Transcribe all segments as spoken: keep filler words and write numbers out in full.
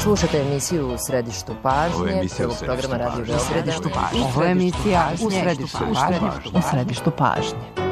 Slušate emisiju U središtu pažnje, prvog programa Radio Beograda. U središtu pažnje. Ovo je emisija U središtu pažnje. U središtu pažnje.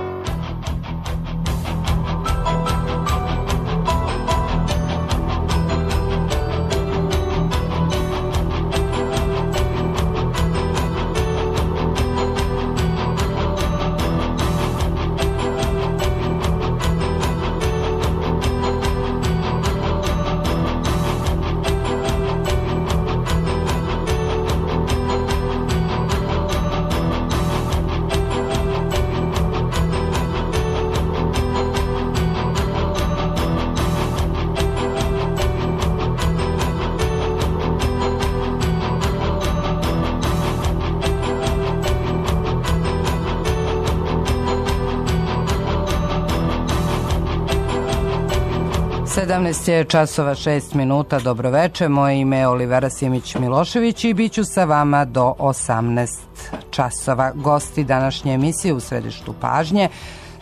sedamnaest je časova šest minuta, dobroveče, moje ime je Olivera Simić-Milošević i bit ću sa vama do osamnaest časova. Gosti današnje emisije U središtu pažnje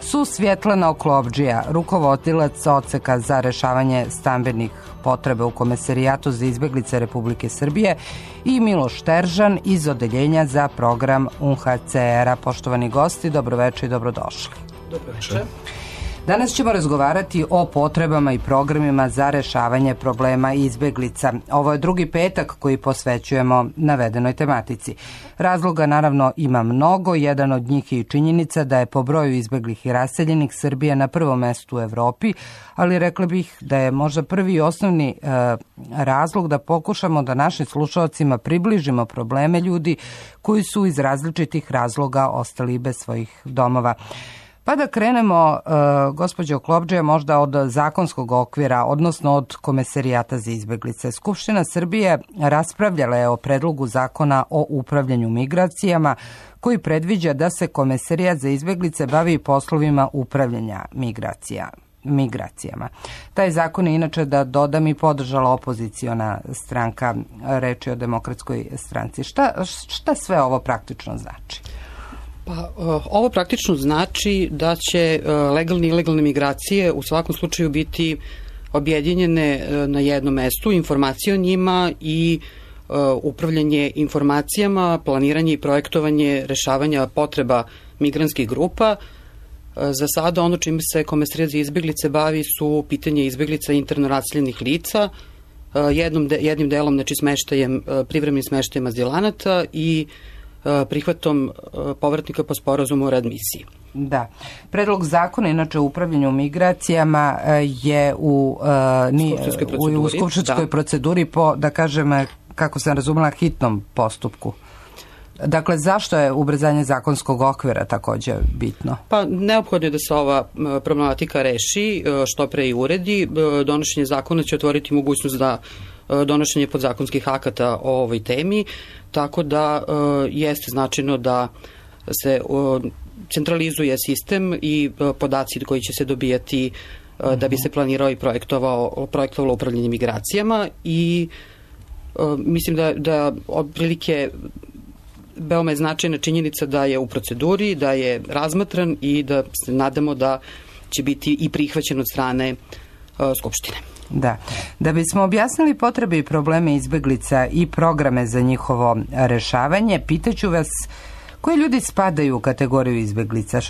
su Svjetlana Oklovdžija, rukovodilac odseka za rešavanje stambenih potreba u Komesarijatu za izbeglice Republike Srbije i Miloš Teržan iz Odeljenja za program U N H C R-a. Poštovani gosti, dobroveče i dobrodošli. Dobroveče. Danas ćemo razgovarati o potrebama i programima za rešavanje problema izbeglica. Ovo je drugi petak koji posvećujemo navedenoj tematici. Razloga naravno ima mnogo, jedan od njih je i činjenica da je po broju izbeglih i raseljenih Srbija na prvom mestu u Evropi, ali rekla bih da je možda prvi i osnovni e, razlog da pokušamo da našim slušalcima približimo probleme ljudi koji su iz različitih razloga ostali bez svojih domova. Pa da krenemo, uh, gospođo Oklovdžija, možda od zakonskog okvira, odnosno od Komesarijata za izbeglice. Skupština Srbije raspravljala je o predlogu zakona o upravljanju migracijama, koji predviđa da se Komesarijat za izbeglice bavi poslovima upravljanja migracija. migracijama. Taj zakon je inače, da dodam, i podržala opoziciona stranka, reč je o Demokratskoj stranci. Šta, šta sve ovo praktično znači? Pa, ovo praktično znači da će legalne i ilegalne migracije u svakom slučaju biti objedinjene na jednom mestu, informacije o njima i upravljanje informacijama, planiranje i projektovanje rešavanja potreba migrantskih grupa. Za sada ono čime se Komesarijat za izbeglice bavi su pitanje izbeglica interno raseljenih lica, jednom de, jednim delom, znači smeštajem, privremenim smeštajem azilanata i prihvatom povratnika po sporazumu o readmisiji. Da. Predlog zakona, inače o upravljanju migracijama, je u, uh, ni, u, u skupštinskoj da. proceduri po, da kažem, kako sam razumela, hitnom postupku. Dakle, zašto je ubrzanje zakonskog okvira takođe bitno? Pa neophodno je da se ova problematika reši, što pre i uredi. Donošenje zakona će otvoriti mogućnost da donošenje podzakonskih akata o ovoj temi, tako da e, jeste značajno da se e, centralizuje sistem i e, podaci koji će se dobijati e, da bi se planirao i projektovao, projektovalo upravljanje migracijama i e, mislim da, da otprilike veoma je značajna činjenica da je u proceduri, da je razmatran i da se nadamo da će biti i prihvaćen od strane e, Skupštine. Da. Da bismo objasnili potrebe i probleme izbeglica i programe za njihovo rešavanje, pitaću vas koji ljudi spadaju u kategoriju izbeglica.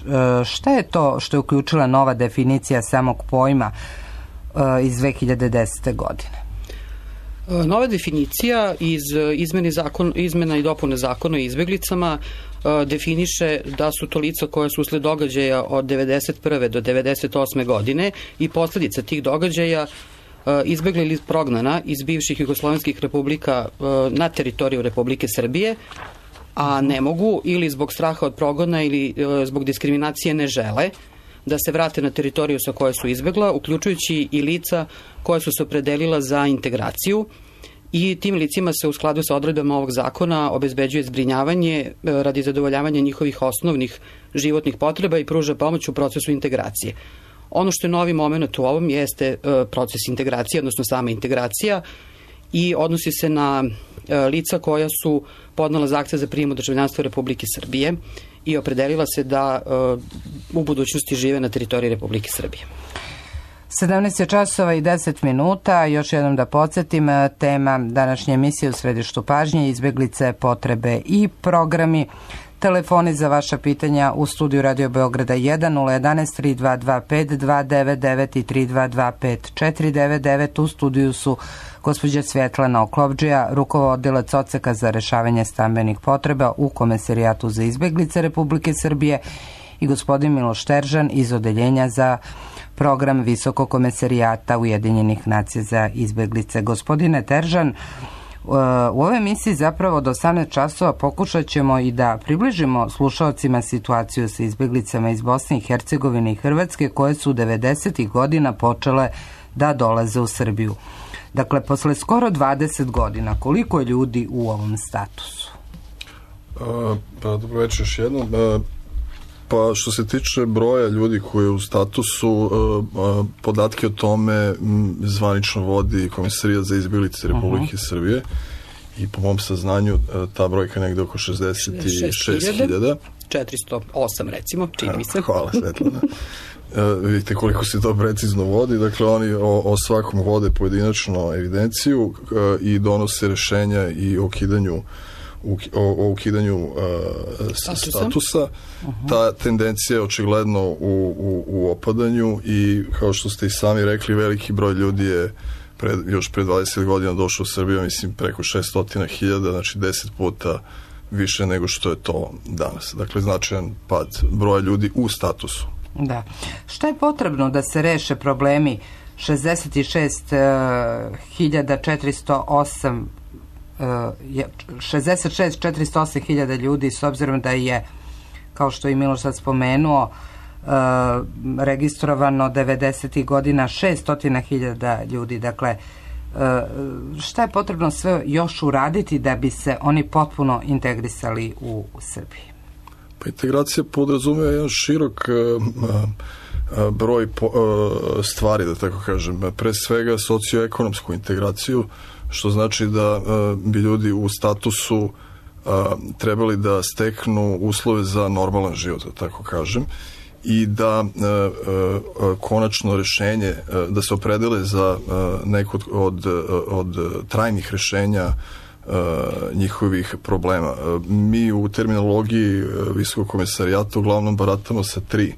Šta je to što je uključila nova definicija samog pojma iz dve hiljade desete. godine? Nova definicija iz izmene, zakon, izmena i dopune zakona o izbeglicama definiše da su to lica koja su usled događaja od devedeset prve do devedeset osme. godine i posledica tih događaja izbegla ili prognana iz bivših jugoslovenskih republika na teritoriju Republike Srbije, a ne mogu ili zbog straha od progona ili zbog diskriminacije ne žele da se vrate na teritoriju sa koje su izbegla, uključujući i lica koja su se opredelila za integraciju i tim licima se u skladu sa odredbama ovog zakona obezbeđuje zbrinjavanje radi zadovoljavanja njihovih osnovnih životnih potreba i pruža pomoć u procesu integracije. Ono što je novi moment u ovom jeste proces integracije, odnosno sama integracija, i odnosi se na lica koja su podnela zahtev za prijem u državljanstvo Republike Srbije i opredelila se da u budućnosti žive na teritoriji Republike Srbije. sedamnaest je časova i deset minuta, još jednom da podsjetim, tema današnje emisije u središtu pažnje, izbeglice, potrebe i programi. Telefoni za vaša pitanja u studiju Radio Beograda jedan nula jedan tri dva dva pet dva devet devet i tri dva dva pet četiri devet devet. U studiju su gospođa Svjetlana Oklopdžija, rukovodilac odseka za rešavanje stambenih potreba u Komesarijatu za izbeglice Republike Srbije, i gospodin Miloš Teržan iz Odeljenja za program Visokog komesarijata Ujedinjenih nacija za izbeglice. Gospodine Teržan, u ovoj emisiji zapravo od osamnaest časova pokušat ćemo i da približimo slušalcima situaciju sa izbeglicama iz Bosne i Hercegovine i Hrvatske koje su devedesetih godina počele da dolaze u Srbiju. Dakle, posle skoro dvadeset godina, koliko je ljudi u ovom statusu? A, pa dobro večer još jednom. A, pa što se tiče broja ljudi koji je u statusu, a, a, podatke o tome m, zvanično vodi Komisarija za izbeglice Republike uh-huh. Srbije i po mom saznanju a, ta brojka je negde oko šezdeset šest hiljada. četiristo osam recimo, čini mi se. Hvala, Svetlana. Uh, vidite koliko se to precizno vodi, dakle oni o, o svakom vode pojedinačno evidenciju uh, i donose rešenja i o ukidanju u, o, o ukidanju uh, statusa. statusa. Uh-huh. Ta tendencija je očigledno u, u, u opadanju i kao što ste i sami rekli, veliki broj ljudi je pred, još pre dvadeset godina došao u Srbiju, mislim preko šesto hiljada, znači deset puta više nego što je to danas. Dakle, značajan pad broja ljudi u statusu. Da. Šta je potrebno da se reše problemi šezdeset šest hiljada četiristo osam šezdeset šest četiristo osam hiljada ljudi, s obzirom da je, kao što je Miloš sad spomenuo, registrovano devedesetih godina šesto hiljada ljudi. Dakle, šta je potrebno sve još uraditi da bi se oni potpuno integrisali u, u Srbiji? Pa integracija podrazumeva jedan širok uh, uh, broj po, uh, stvari, da tako kažem. Pre svega socioekonomsku integraciju, što znači da uh, bi ljudi u statusu uh, trebali da steknu uslove za normalan život, da tako kažem, i da uh, uh, konačno rešenje, uh, da se opredele za uh, neko od, od, od trajnih rešenja Uh, njihovih problema. Uh, mi u terminologiji uh, Visokog komesarijata uglavnom baratamo sa tri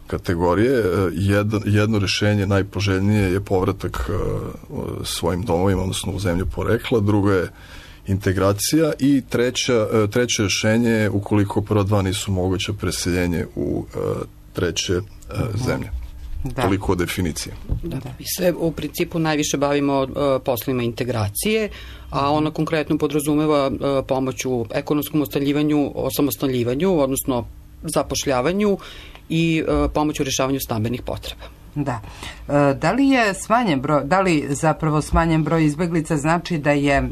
kategorije. Uh, jedno, jedno rešenje najpoželjnije je povratak uh, svojim domovima, odnosno u zemlju porekla, drugo je integracija i treća, uh, treće rešenje je ukoliko prva dva nisu moguće, preseljenje u uh, treće uh, zemlje. Da. Toliko o definiciji. Da, mi se u principu najviše bavimo uh, poslovima integracije, a ona konkretno podrazumeva uh, pomoć u ekonomskom ostaljivanju, osamostaljivanju, odnosno zapošljavanju i uh, pomoć u rešavanju stambenih potreba. Da. E, da li je smanjen broj, da li zapravo smanjen broj izbeglica znači da je e,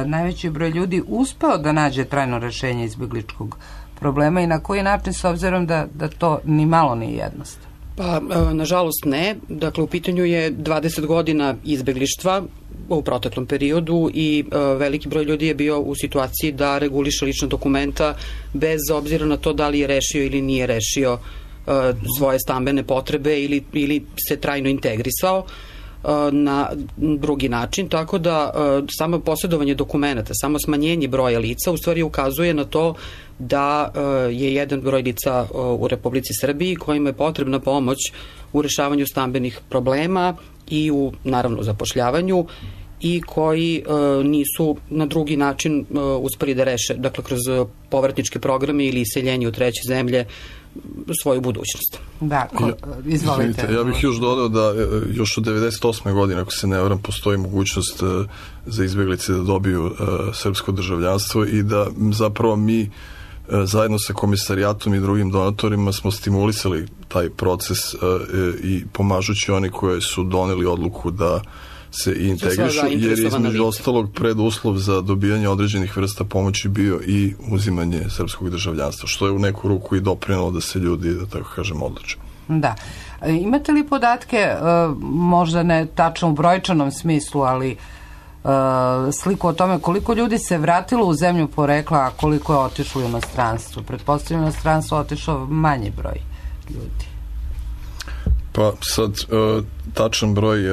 najveći broj ljudi uspeo da nađe trajno rešenje izbegličkog problema i na koji način, s obzirom da, da to ni malo nije jednostavno? Pa, nažalost ne. Dakle, u pitanju je dvadeset godina izbeglištva u proteklom periodu i e, veliki broj ljudi je bio u situaciji da reguliše lična dokumenta bez obzira na to da li je rešio ili nije rešio e, svoje stambene potrebe ili, ili se trajno integrisao e, na drugi način, tako da e, samo posjedovanje dokumenta, samo smanjenje broja lica u stvari ukazuje na to da je jedan broj lica u Republici Srbiji kojima je potrebna pomoć u rešavanju stambenih problema i u, naravno, zapošljavanju i koji nisu na drugi način uspeli da reše, dakle, kroz povratničke programe ili iseljenje u treće zemlje, svoju budućnost. Da, ko, izvolite. Izvinite, ja bih još dodao da još od devedeset osme godine, ako se ne varam, postoji mogućnost za izbeglice da dobiju srpsko državljanstvo i da zapravo mi zajedno sa komisarijatom i drugim donatorima smo stimulisali taj proces uh, i pomažući oni koji su doneli odluku da se integrišu, jer između ostalog preduslov za dobijanje određenih vrsta pomoći bio i uzimanje srpskog državljanstva, što je u neku ruku i doprinalo da se ljudi, da tako kažem, odluče. Da. Imate li podatke, možda ne tačno u brojčanom smislu, ali sliku o tome koliko ljudi se vratilo u zemlju porekla, a koliko je otišlo u inostranstvo? Pretpostavljam, u inostranstvo otišao manji broj ljudi. Pa sad, tačan broj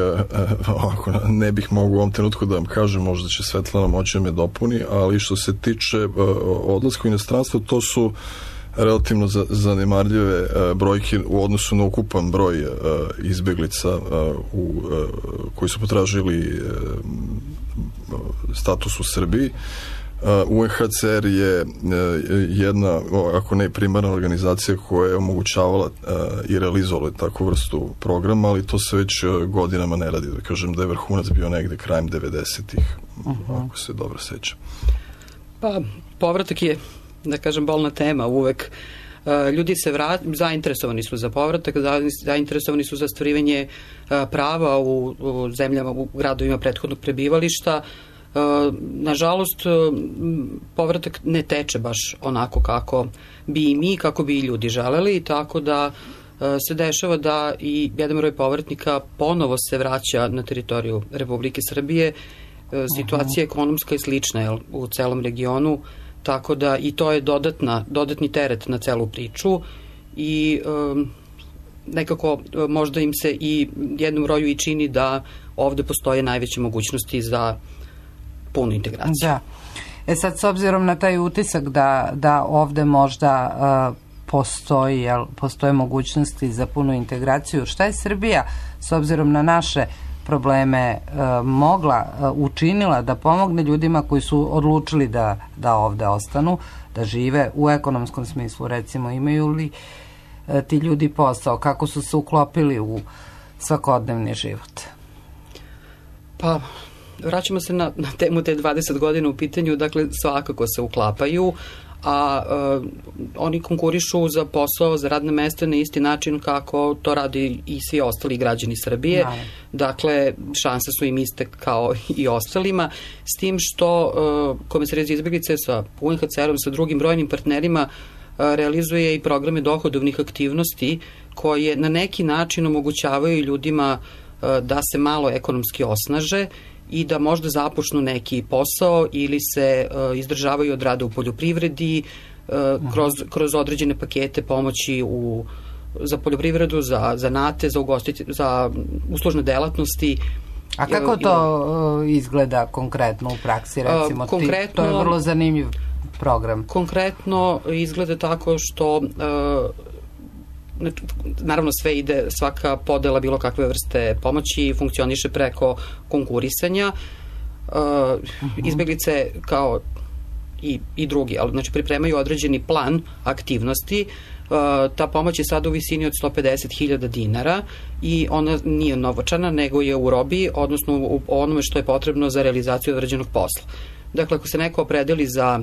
ovako, ne bih mogu u ovom trenutku da vam kažem, možda će Svetlana moći da me dopuni, ali što se tiče odlaska u inostranstvo, to su relativno zanemarljive brojke u odnosu na ukupan broj izbeglica u, koji su potražili status u Srbiji. U en ha ce er je jedna, ako ne primarna organizacija koja je omogućavala i realizovala takvu vrstu programa, ali to se već godinama ne radi. Da kažem da je vrhunac bio negde krajem devedesetih, uh-huh. ako se dobro sećam. Pa, povratak je, da kažem, bolna tema uvek. Ljudi se vrat, zainteresovani su za povratak, zainteresovani su za stvarivanje prava u, u zemljama, u gradovima prethodnog prebivališta. Nažalost, povratak ne teče baš onako kako bi i mi, kako bi i ljudi želeli, tako da se dešava da i jedan broj povratnika ponovo se vraća na teritoriju Republike Srbije. Situacija ekonomska je slična jel, u celom regionu, tako da i to je dodatna, dodatni teret na celu priču i um, nekako možda im se i jednom broju i čini da ovde postoje najveće mogućnosti za punu integraciju. Da. E sad, s obzirom na taj utisak da, da ovde možda uh, postoji, jel, postoje mogućnosti za punu integraciju, šta je Srbija, s obzirom na naše probleme, uh, mogla, uh, učinila da pomogne ljudima koji su odlučili da, da ovde ostanu, da žive u ekonomskom smislu, recimo, imaju li uh, ti ljudi posao, kako su se uklopili u svakodnevni život? Pa, vraćamo se na, na temu te dvadeset godina u pitanju, dakle svakako se uklapaju, a uh, oni konkurišu za posao, za radne mesta na isti način kako to radi i svi ostali građani Srbije. Da. Dakle, šanse su im iste kao i ostalima, s tim što uh, Komesarijat za izbeglice sa u en ha ce erom, sa drugim brojnim partnerima uh, realizuje i programe dohodovnih aktivnosti koje na neki način omogućavaju ljudima uh, da se malo ekonomski osnaže i da možda započnu neki posao ili se uh, izdržavaju od rada u poljoprivredi uh, kroz, kroz određene pakete pomoći u, za poljoprivredu, za zanate, za, ugostiti, za uslužne delatnosti. A kako to uh, izgleda konkretno u praksi, recimo? Uh, konkretno, Ti, to je vrlo zanimljiv program. Konkretno izgleda tako što uh, naravno sve ide, svaka podela bilo kakve vrste pomoći funkcioniše preko konkurisanja. Izbeglice kao i, i drugi, ali znači pripremaju određeni plan aktivnosti. Ta pomoć je sada u visini od sto pedeset hiljada dinara i ona nije novčana, nego je u robi, odnosno u onome što je potrebno za realizaciju određenog posla. Dakle, ako se neko opredeli za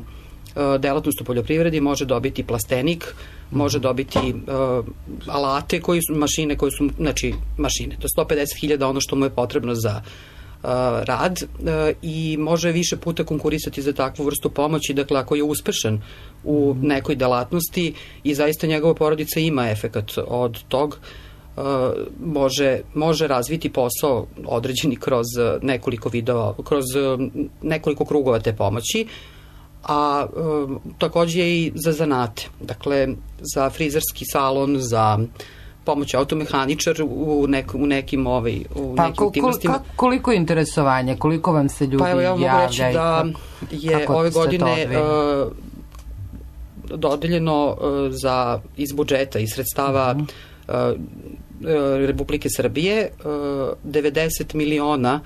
delatnost u poljoprivredi, može dobiti plastenik, može dobiti uh, alate, koji su, mašine koje su, znači mašine, do sto pedeset hiljada ono što mu je potrebno za uh, rad uh, i može više puta konkurisati za takvu vrstu pomoći, dakle ako je uspešan u nekoj delatnosti i zaista njegova porodica ima efekat od tog, uh, može, može razviti posao određeni kroz nekoliko vidova, kroz nekoliko krugova te pomoći, a e, takođe i za zanate, dakle za frizerski salon, za pomoć automehaničar u, nek, u nekim, ovaj, u pa, nekim aktivnostima. Kol, koliko interesovanje, koliko vam se ljudi javlja? Pa evo ja mogu reći da je ove godine e, dodeljeno e, za, iz budžeta, iz sredstava uh-huh. e, Republike Srbije e, devedeset miliona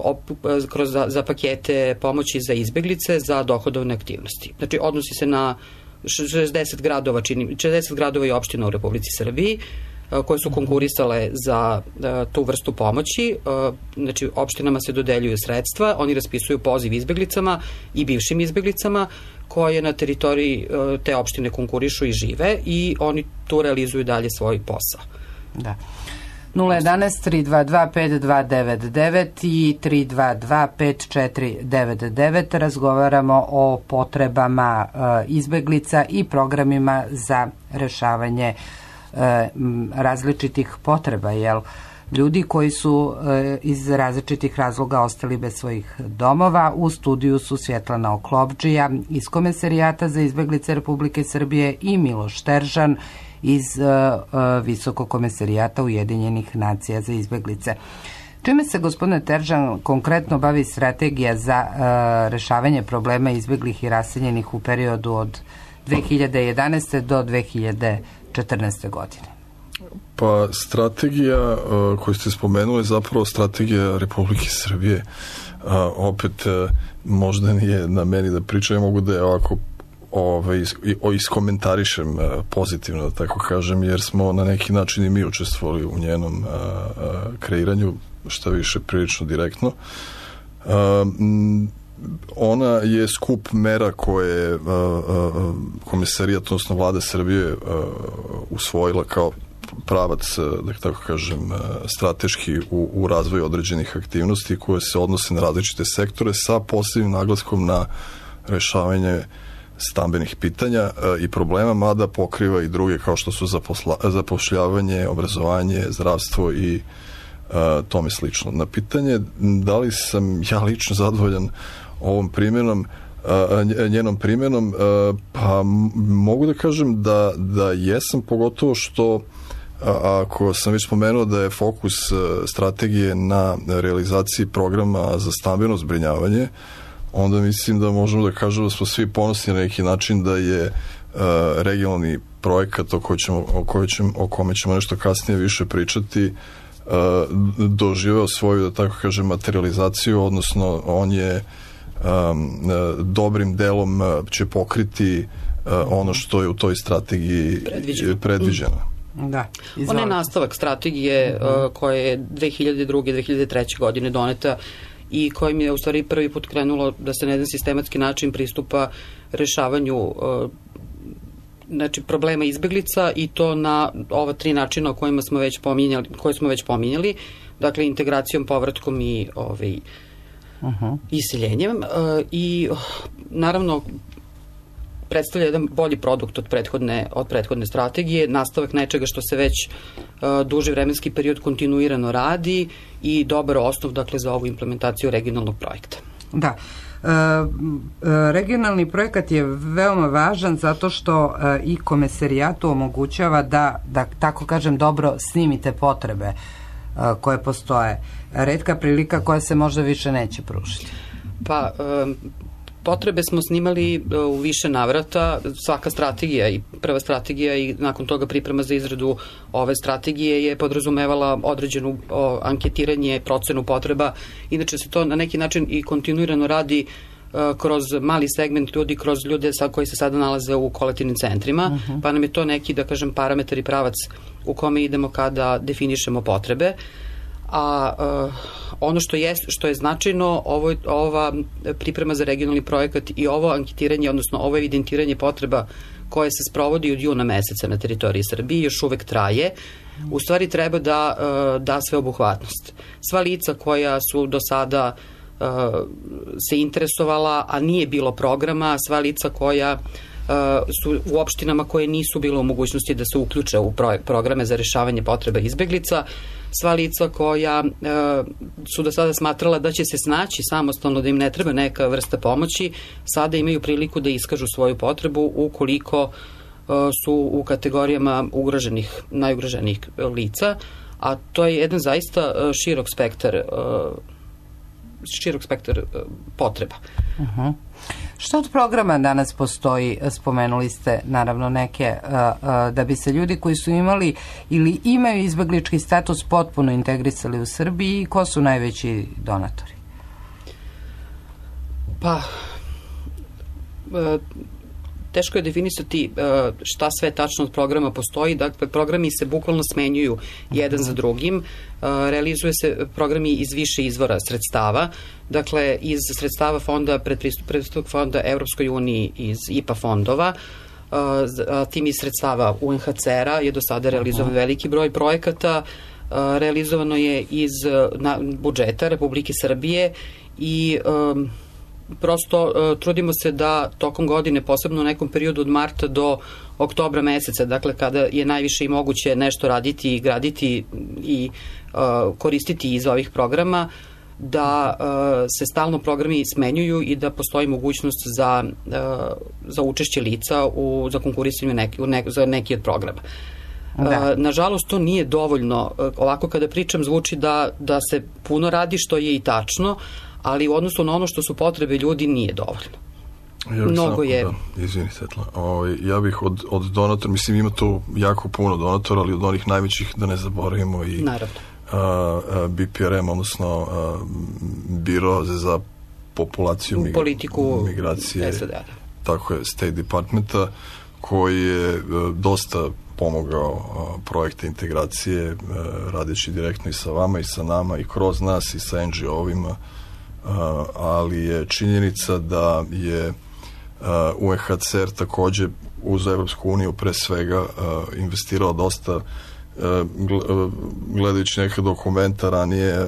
Op, kroz za, za pakete pomoći za izbeglice za dohodovne aktivnosti. Znači, odnosi se na šezdeset gradova, čini, šezdeset gradova i opština u Republici Srbiji koje su konkurisale za tu vrstu pomoći. Znači, opštinama se dodeljuju sredstva, oni raspisuju poziv izbeglicama i bivšim izbeglicama koje na teritoriji te opštine konkurišu i žive i oni tu realizuju dalje svoj posao. Da. nula jedan tri dva dva pet dva devet devet i tri dva dva pet četiri devet devet. Razgovaramo o potrebama e, izbeglica i programima za rešavanje e, različitih potreba, jel? Ljudi koji su e, iz različitih razloga ostali bez svojih domova. U studiju su Svjetlana Oklopdžija iz Komesarijata za izbeglice Republike Srbije i Miloš Teržan iz Visokog komesarijata Ujedinjenih nacija za izbeglice. Čime se, gospodine Teržan, konkretno bavi strategija za rešavanje problema izbeglih i raseljenih u periodu od dve hiljade jedanaeste. do dve hiljade četrnaeste. godine? Pa strategija uh, koju ste spomenuli je zapravo strategija Republike Srbije. Uh, opet uh, možda nije na meni da pričam, ja mogu da je ovako ovaj, iskomentarišem uh, pozitivno, da tako kažem, jer smo na neki način i mi učestvovali u njenom uh, uh, kreiranju, šta više prilično direktno. Uh, ona je skup mera koje je uh, uh, komesarijat, odnosno vlada Srbije uh, usvojila kao pravac, da tako kažem, strateški u, u razvoju određenih aktivnosti koje se odnose na različite sektore sa posebnim naglaskom na rešavanje stambenih pitanja i problema, mada pokriva i druge kao što su zaposla, zapošljavanje, obrazovanje, zdravstvo i a, tome slično. Na pitanje da li sam ja lično zadovoljan ovom primjenom, a, njenom primjenom, a, pa mogu da kažem da, da jesam, pogotovo što a, ako sam već spomenuo da je fokus strategije na realizaciji programa za stambeno zbrinjavanje, onda mislim da možemo da kažemo da smo svi ponosni na neki način da je uh, regionalni projekat o, koji ćemo, o, koji ćemo, o kome ćemo nešto kasnije više pričati uh, doživeo svoju, da tako kažem, materializaciju, odnosno on je um, uh, dobrim delom uh, će pokriti uh, ono što je u toj strategiji predviđeno. predviđeno. Da. Ona je nastavak strategije uh, koja je dve hiljade druge. dve hiljade treće. godine doneta i kojim je u stvari prvi put krenulo da se na jedan sistematski način pristupa rešavanju uh, znači problema izbeglica, i to na ova tri načina o kojima smo već pominjali, koje smo već pominjali, dakle integracijom, povratkom i ovaj, uh-huh. iseljenjem uh, i uh, naravno predstavlja jedan bolji produkt od prethodne, od prethodne strategije, nastavak nečega što se već uh, duži vremenski period kontinuirano radi i dobar osnov, dakle, za ovu implementaciju regionalnog projekta. Da. E, regionalni projekat je veoma važan zato što e, i komesarijatu omogućava da, da, tako kažem, dobro snimite potrebe e, koje postoje. Retka prilika koja se možda više neće pružiti. Pa, e, potrebe smo snimali u više navrata, svaka strategija i prva strategija i nakon toga priprema za izradu ove strategije je podrazumevala određenu o, anketiranje, procenu potreba. Inače se to na neki način i kontinuirano radi o, kroz mali segment ljudi, kroz ljude sa, koji se sada nalaze u kolektivnim centrima, uh-huh. pa nam je to neki, da kažem, parametar i pravac u kome idemo kada definišemo potrebe. A uh, ono što je, što je značajno, ovo, ova priprema za regionalni projekat i ovo anketiranje, odnosno ovo evidentiranje potreba koje se sprovodi od juna meseca na teritoriji Srbije još uvek traje, u stvari treba da uh, da sveobuhvatnost. Sva lica koja su do sada uh, se interesovala, a nije bilo programa, sva lica koja uh, su u opštinama koje nisu bilo u mogućnosti da se uključe u pro- programe za rešavanje potreba izbeglica, sva lica koja e, su do sada smatrala da će se snaći samostalno, da im ne treba neka vrsta pomoći, sada imaju priliku da iskažu svoju potrebu ukoliko e, su u kategorijama ugroženih, najugroženijih lica, a to je jedan zaista širok spektar e, širok spektar e, potreba. Uh-huh. Što od programa danas postoji? Spomenuli ste naravno neke, uh, uh, da bi se ljudi koji su imali ili imaju izbeglički status potpuno integrisali u Srbiji, ko su najveći donatori? Pa, uh, teško je definisati uh, šta sve tačno od programa postoji. Dakle, programi se bukvalno smenjuju jedan za drugim. Uh, realizuje se programi iz više izvora sredstava. Dakle, iz sredstava fonda, predpristupnog fonda Evropskoj uniji, iz I P A fondova, uh, tim iz sredstava U N H C R-a je do sada realizovan veliki broj projekata. Uh, realizovano je iz na, budžeta Republike Srbije i um, prosto uh, trudimo se da tokom godine, posebno u nekom periodu od marta do oktobra meseca, dakle kada je najviše i moguće nešto raditi i graditi i uh, koristiti iz ovih programa, da uh, se stalno programi smenjuju i da postoji mogućnost za, uh, za učešće lica u, za konkurisanje neki, u ne, za neki od programa. Da. Uh, nažalost, to nije dovoljno. Uh, ovako kada pričam zvuči da, da se puno radi, što je i tačno, ali u odnosu na ono što su potrebe ljudi nije dovoljno. Ja bih Mnogo samo, je... Da, izvini, Svetla. O, ja bih od, od donatora, mislim ima tu jako puno donatora, ali od onih najvećih da ne zaboravimo i Naravno. Uh, B P R M, odnosno uh, Biro za populaciju mig politiku migracije, S A D-a. Tako je, State Departmenta, koji je uh, dosta pomogao uh, projekte integracije, uh, radeći direktno i sa vama i sa nama i kroz nas i sa N G O-ovima, uh, ali je činjenica da je uh, U N H C R takođe uz Evropsku uniju pre svega uh, investirao dosta, gledajući neke dokumenta ranije,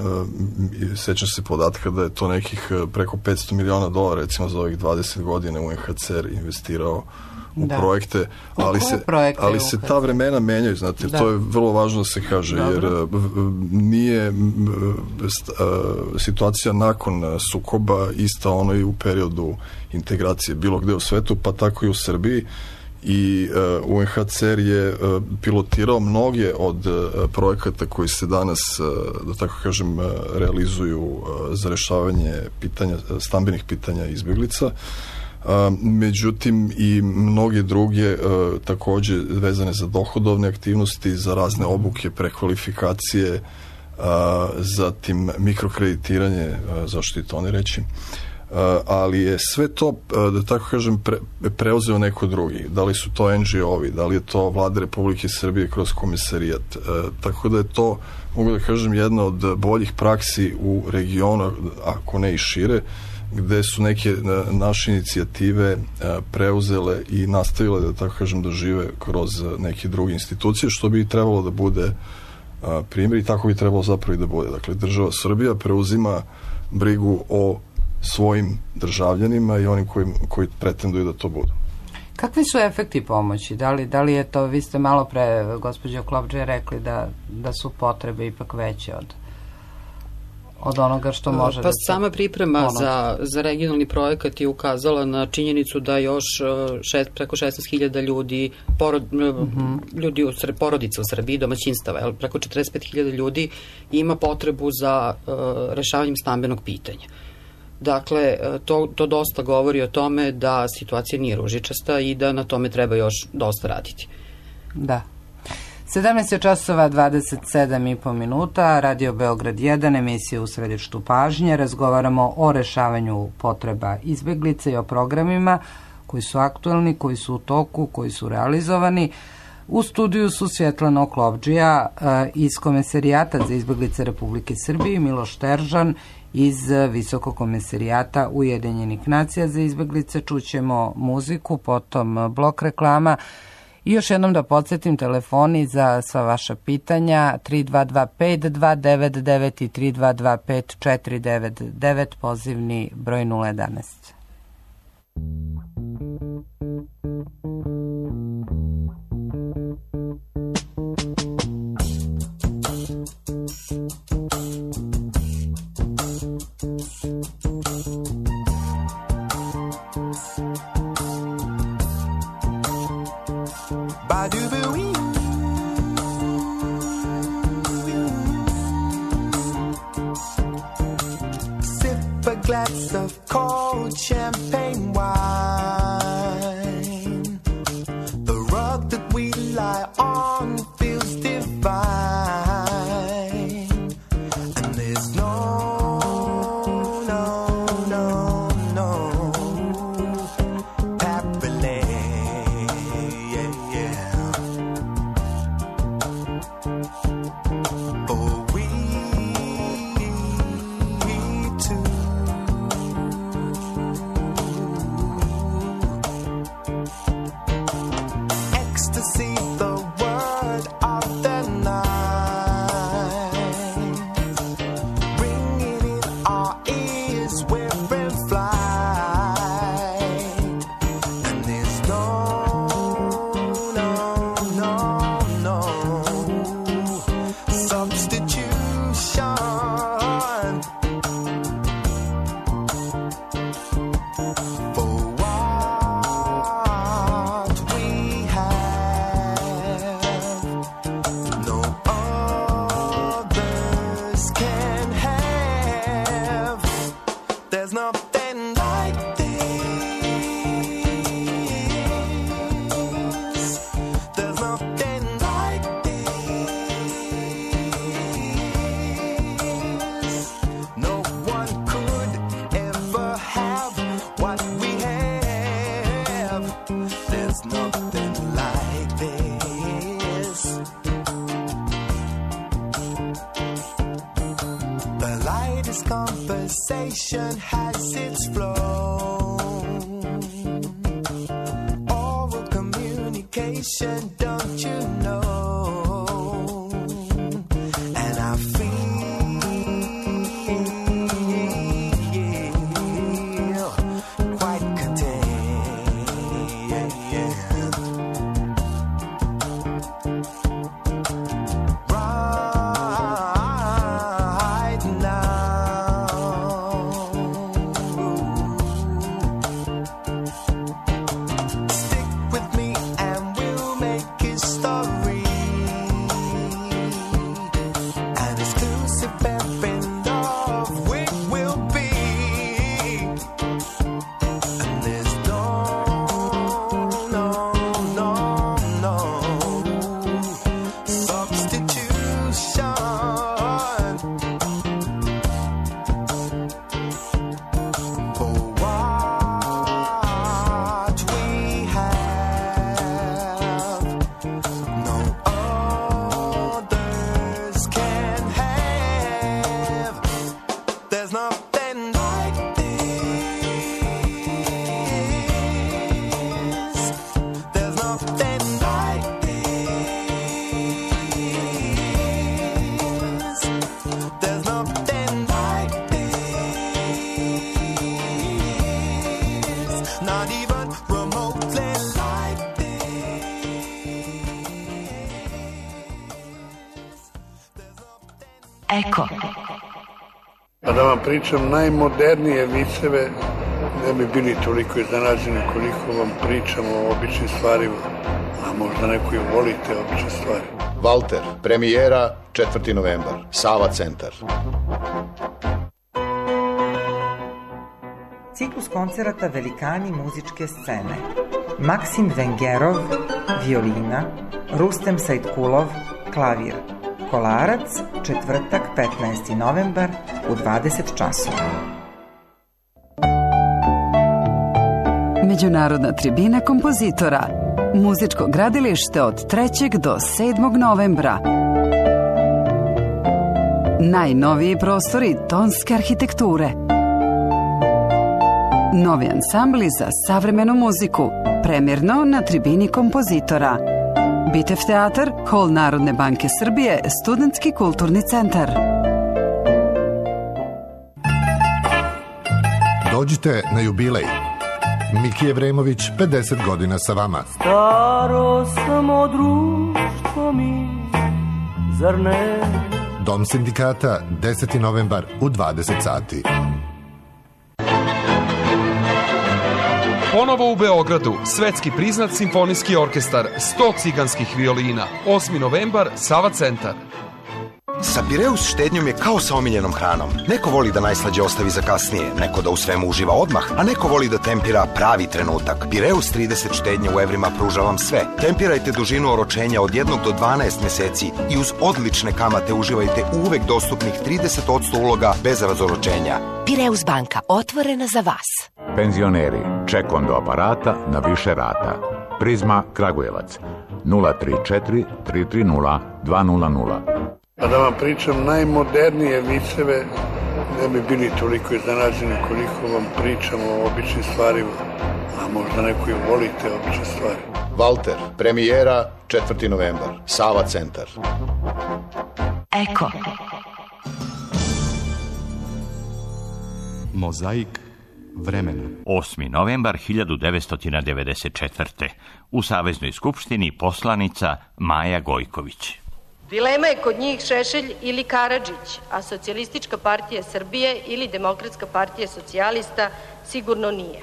sećam se podatka da je to nekih preko petsto miliona dolara recimo za ovih dvadeset godina U N H C R investirao u da. projekte, ali se, ali se ta vremena menjaju, znate, da. To je vrlo važno da se kaže, Dobro. jer nije situacija nakon sukoba ista ono i u periodu integracije bilo gde u svetu, pa tako i u Srbiji. I uh, U N H C R je uh, pilotirao mnoge od uh, projekata koji se danas, uh, da tako kažem, uh, realizuju uh, za rešavanje pitanja, stambenih pitanja izbjeglica. Uh, međutim i mnoge druge uh, takođe vezane za dohodovne aktivnosti, za razne obuke, prekvalifikacije, uh, zatim mikrokreditiranje, uh, zašto i to ne reći. Uh, ali je sve to, uh, da tako kažem, pre, preuzeo neko drugi. Da li su to N G O-ovi, da li je to Vlada Republike Srbije kroz komisarijat. Uh, tako da je to, mogu da kažem, jedna od boljih praksi u regionu, ako ne i šire, gde su neke uh, naše inicijative uh, preuzele i nastavile, da tako kažem, da žive kroz uh, neke druge institucije, što bi trebalo da bude uh, primjer i tako bi trebalo zapravo i da bude. Dakle, država Srbija preuzima brigu o svojim državljanima i onim koji, koji pretenduju da to budu. Kakvi su efekti pomoći? Da li, da li je to, vi ste malo pre, gospođo Klopdže, rekli da, da su potrebe ipak veće od, od onoga što može pa da se... Pa sama priprema za, za regionalni projekat je ukazala na činjenicu da još šest, preko šesnaest hiljada ljudi, porod, uh-huh. ljudi u, porodica u Srbiji, domaćinstava, preko četrdeset pet hiljada ljudi ima potrebu za uh, rešavanjem stambenog pitanja. Dakle, to, to dosta govori o tome da situacija nije ružičasta i da na tome treba još dosta raditi. Da. sedamnaest časova dvadeset sedam i po minuta, Radio Beograd jedan, emisija U središtu pažnje. Razgovaramo o rešavanju potreba izbeglica i o programima koji su aktuelni, koji su u toku, koji su realizovani. U studiju su Svjetlana Oklopdžija iz Komesarijata za izbeglice Republike Srbije, Miloš Teržan iz Visokog komesarijata Ujedinjenih nacija za izbeglice. Čućemo muziku, potom blok reklama. I još jednom da podsjetim, telefoni za sva vaša pitanja tri dva dva pet dva devet devet i tri dva dva pet četiri devet devet, pozivni broj nula jedanaest. Sip a glass of cold champagne wine. The rug that we lie on feels divine. And there's no, no, no, no happily, yeah, yeah. Oh, we two. Ecstasy, the word of the night. Ring There's nothing like this. There's nothing like this. No one could ever have what we have. There's nothing like this. The lightest conversation has its flow. Oral communication, don't you know? And I feel quite content right now. Stick with me and we'll make history. An exclusive band of we will be. And there's no, no, no, no substitution for what we have. No others can have. There's nothing like this. There's nothing like this. There's nothing like this. Not even remotely like Eko. A da vam pričam najmodernije viceve, ne bi bili toliko iznenađeni koliko vam pričam o običnim stvarima, a možda neko i volite obične stvari. Valter, premijera, četvrti novembar, Sava centar. Ciklus koncerata Velikani muzičke scene. Maksim Vengerov, violina, Rustem Sajtkulov, klavir. Kolarac, četvrtak, petnaesti novembar u dvadeset časova. Međunarodna tribina kompozitora. Muzičko gradilište od trećeg do sedmog novembra. Najnoviji prostori tonske arhitekture. Novi ansambli za savremenu muziku. Premjerno na tribini kompozitora. Bitev teatar, Hol Narodne banke Srbije, Studentski kulturni centar. Dođite na jubilej. Miki Evremović, pedeset godina sa vama. Staro samo društvo mi, zar ne? Dom sindikata, deseti novembar u dvadeset sati. Ponovo u Beogradu, svetski priznat simfonijski orkestar, sto ciganskih violina, osmi novembar, Sava centar. Sa Pireus štednjom je kao sa omiljenom hranom. Neko voli da najslađe ostavi za kasnije, neko da u svemu uživa odmah, a neko voli da tempira pravi trenutak. Pireus trideset štednje u evrima pruža vam sve. Tempirajte dužinu oročenja od jednog do dvanaest meseci i uz odlične kamate uživajte uvek dostupnih trideset posto uloga bez razoročenja. Pireus banka, otvorena za vas. Penzioneri, ček onda aparata na više rata. Prizma Kragujevac, nula tri četiri tri tri nula dva nula nula. A da vam pričam najmodernije viceve, ne bi bili toliko iznenađeni koliko vam pričam o običnim stvarima, a možda neko i volite obične stvari. Valter, premijera, četvrti novembar, Sava centar. Eko. Mozaik vremena. osmi novembar hiljadu devetsto devedeset četvrte. U Saveznoj skupštini poslanica Maja Gojković. Dilema je kod njih Šešelj ili Karadžić, a Socijalistička partija Srbije ili Demokratska partija socijalista sigurno nije.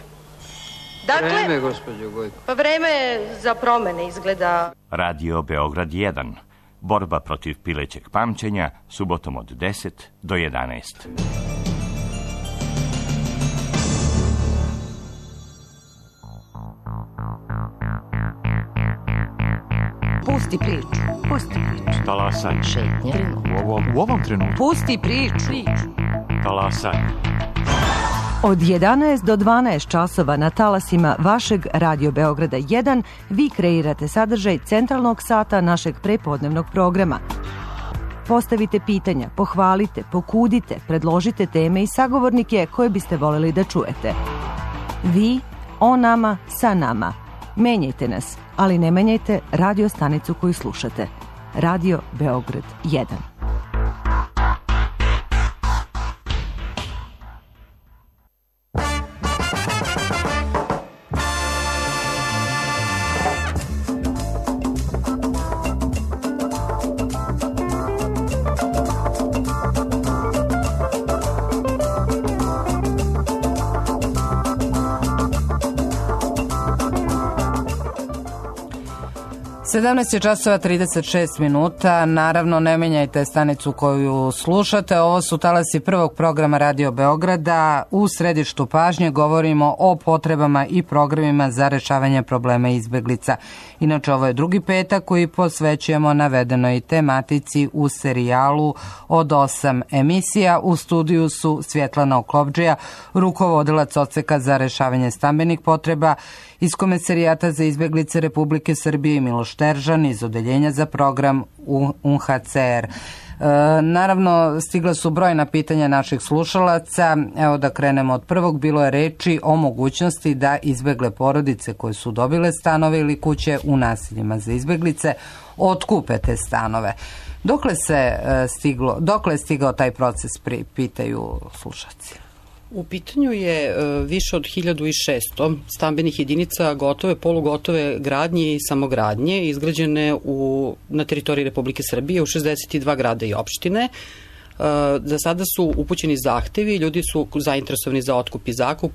Dakle, vreme, gospođo Gojko. Pa vreme je za promene izgleda. Radio Beograd jedan. Borba protiv pilećeg pamćenja, subotom od deset do jedanaest. Pusti priču. Pusti priču. Talasaj. Šetnje. U ovom, u ovom trenutku. Pusti priču. Talasaj. Od jedanaest do dvanaest časova na talasima vašeg Radio Beograda jedan vi kreirate sadržaj centralnog sata našeg prepodnevnog programa. Postavite pitanja, pohvalite, pokudite, predložite teme i sagovornike koje biste voljeli da čujete. Vi, o nama, sa nama. Menjajte nas, ali ne menjajte radio stanicu koju slušate. Radio Beograd jedan. sedamnaest je časova trideset šest minuta, naravno ne menjajte stanicu koju slušate, ovo su talasi prvog programa Radio Beograda, u središtu pažnje govorimo o potrebama i programima za rešavanje problema izbeglica. Inače ovo je drugi petak koji posvećujemo navedenoj tematici u serijalu od osam emisija. U studiju su Svjetlana Oklovdžija, rukovodilac odseka za rešavanje stambenih potreba iz Komesarijata za izbeglice Republike Srbije i Miloš Teržan iz Odeljenja za program U N H C R. E, naravno, stigla su brojna pitanja naših slušalaca. Evo da krenemo od prvog. Bilo je reči o mogućnosti da izbegle porodice koje su dobile stanove ili kuće u naseljima za izbeglice otkupe te stanove. Dokle se e, stiglo, dokle je stigao taj proces, pri, pitaju slušalci? U pitanju je više od hiljadu šesto stambenih jedinica gotove, polugotove gradnje i samogradnje izgrađene u, na teritoriji Republike Srbije u šezdeset dva grada i opštine. Za sada su upućeni zahtevi, ljudi su zainteresovani za otkup i zakup,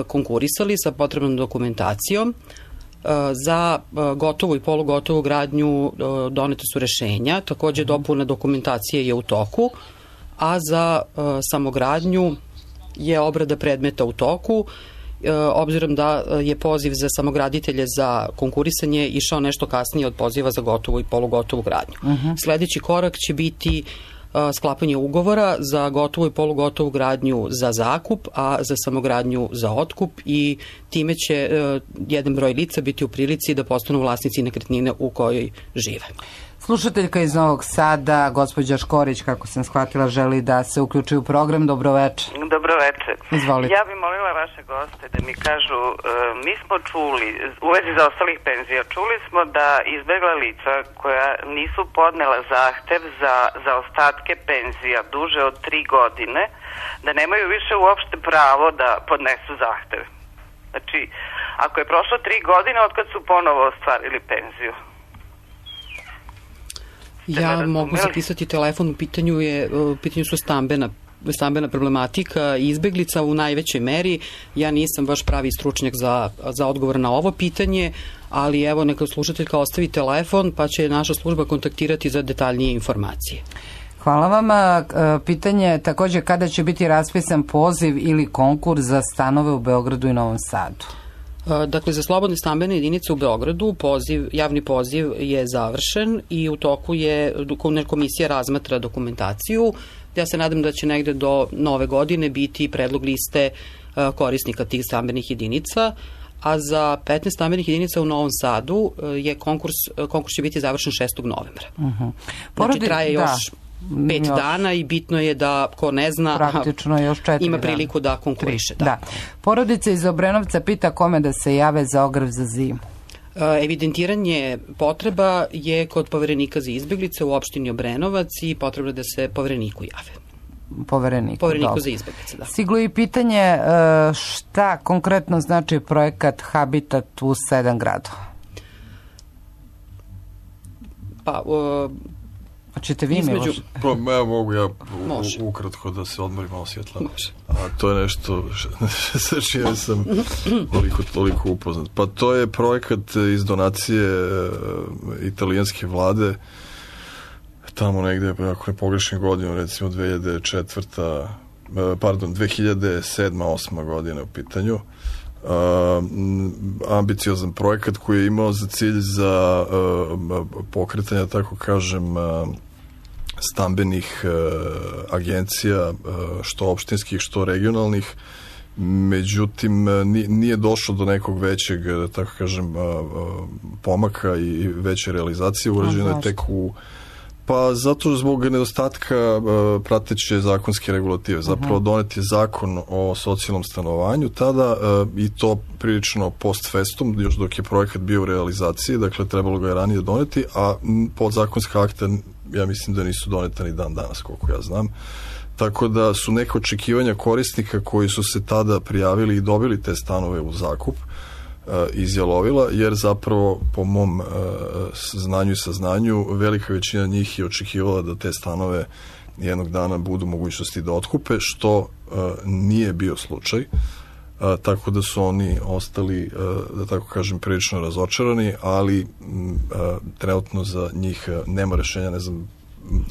konkurisali sa potrebnom dokumentacijom. Za gotovu i polugotovu gradnju donete su rešenja, takođe dopuna dokumentacije je u toku, a za samogradnju je obrada predmeta u toku, e, obzirom da je poziv za samograditelje za konkurisanje išao nešto kasnije od poziva za gotovu i polugotovu gradnju. Uh-huh. Sledeći korak će biti e, sklapanje ugovora za gotovu i polugotovu gradnju za zakup, a za samogradnju za otkup i time će e, jedan broj lica biti u prilici da postanu vlasnici nekretnine u kojoj žive. Slušateljka iz Novog Sada, gospođa Škorić, kako sam shvatila, želi da se uključi u program. Dobroveče. Dobroveče. Izvolite. Ja bih molila vaše goste da mi kažu, e, mi smo čuli, u vezi za ostalih penzija, čuli smo da izbegla lica koja nisu podnela zahtev za, za ostatke penzija duže od tri godine, da nemaju više uopšte pravo da podnesu zahtev. Znači, ako je prošlo tri godine od kad su ponovo ostvarili penziju. Ja mogu zapisati telefon, u pitanju, je, u pitanju su stambena, stambena problematika i izbeglica u najvećoj meri. Ja nisam baš pravi stručnjak za, za odgovor na ovo pitanje, ali evo neka slušateljka ostavi telefon pa će naša služba kontaktirati za detaljnije informacije. Hvala vama. Pitanje je takođe kada će biti raspisan poziv ili konkurs za stanove u Beogradu i Novom Sadu. Dakle, za slobodne stambene jedinice u Beogradu poziv, javni poziv je završen i u toku je, komisija razmatra dokumentaciju. Ja se nadam da će negde do nove godine biti predlog liste korisnika tih stambenih jedinica, a za petnaest stambenih jedinica u Novom Sadu je konkurs, konkurs će biti završen šestog novembra. Uh-huh. Porodi, znači, traje još da. pet još. dana i bitno je da, ko ne zna, praktično još četiri ima priliku dana. da konkuriše. Da. Da. Porodica iz Obrenovca pita kome da se jave za ogrev za zimu. Evidentiranje potreba je kod poverenika za izbeglice u opštini Obrenovac i potrebno da se povereniku jave. Povereniku, povereniku za izbeglice, da. Stiglo i pitanje šta konkretno znači projekat Habitat u sedam gradova? Pa, uh, Hoćete vi mi možete? Pa, ja mogu ja u, ukratko da se odmorim malo Svjetlana. A to je nešto sa čime sam toliko, toliko upoznat. Pa to je projekat iz donacije italijanske vlade tamo negde, ako ne pogrešim godinu, recimo dve hiljade četvrta pardon, dve hiljade sedma osma godina u pitanju. ambiciozan projekat koji je imao za cilj za pokretanje, tako kažem, stambenih agencija, što opštinskih, što regionalnih. Međutim, nije došlo do nekog većeg, tako kažem, pomaka i veće realizacije. Urađeno je tek u... Pa zato zbog nedostatka prateće zakonske regulative. Zapravo donet je zakon o socijalnom stanovanju tada i to prilično post festum, još dok je projekat bio u realizaciji, dakle trebalo ga je ranije doneti, a podzakonska akta ja mislim da nisu doneta ni dan danas, koliko ja znam. Tako da su neke očekivanja korisnika koji su se tada prijavili i dobili te stanove u zakup izjalovila, jer zapravo po mom znanju i saznanju velika većina njih je očekivala da te stanove jednog dana budu mogućnosti da otkupe, što nije bio slučaj, tako da su oni ostali, da tako kažem, prilično razočarani, ali trenutno za njih nema rešenja, ne znam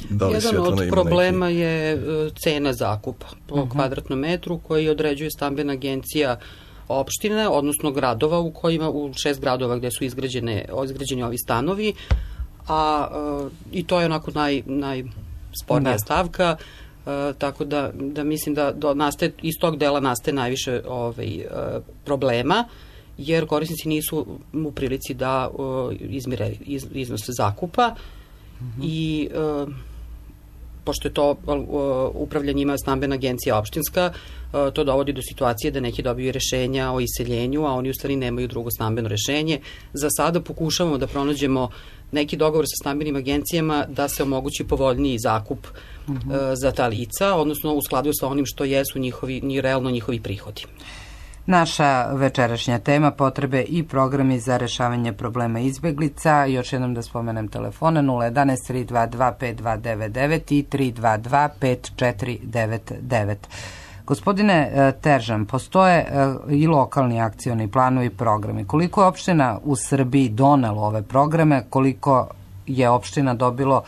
da li Svjetlana ima neki. Jedan od problema je cena zakupa po uh-huh. kvadratnom metru koji određuje stambena agencija opštine, odnosno gradova u kojima, u šest gradova gde su izgrađene, izgrađeni ovi stanovi, a uh, i to je onako naj, najspornija da. stavka, uh, tako da, da mislim da do, nastaje, iz tog dela nastaje najviše ovaj, uh, problema, jer korisnici nisu u prilici da uh, izmire iz, iznose zakupa mm-hmm. i uh, pošto je to uh, upravljanje ima stambena agencija opštinska, uh, to dovodi do situacije da neki dobiju rešenja o iseljenju, a oni u stvari nemaju drugo stambeno rešenje. Za sada pokušavamo da pronađemo neki dogovor sa stambenim agencijama da se omogući povoljniji zakup uh, za ta lica, odnosno u skladu sa onim što jesu njihovi, ni realno njihovi prihodi. Naša večerašnja tema, potrebe i programi za rešavanje problema izbeglica. Još jednom da spomenem telefone nula jedan tri dva dva pet dva devet devet i tri dva dva pet četiri devet devet. Gospodine Teržan, postoje i lokalni akcioni planovi i programi. Koliko je opština u Srbiji donelo ove programe, koliko je opština dobilo,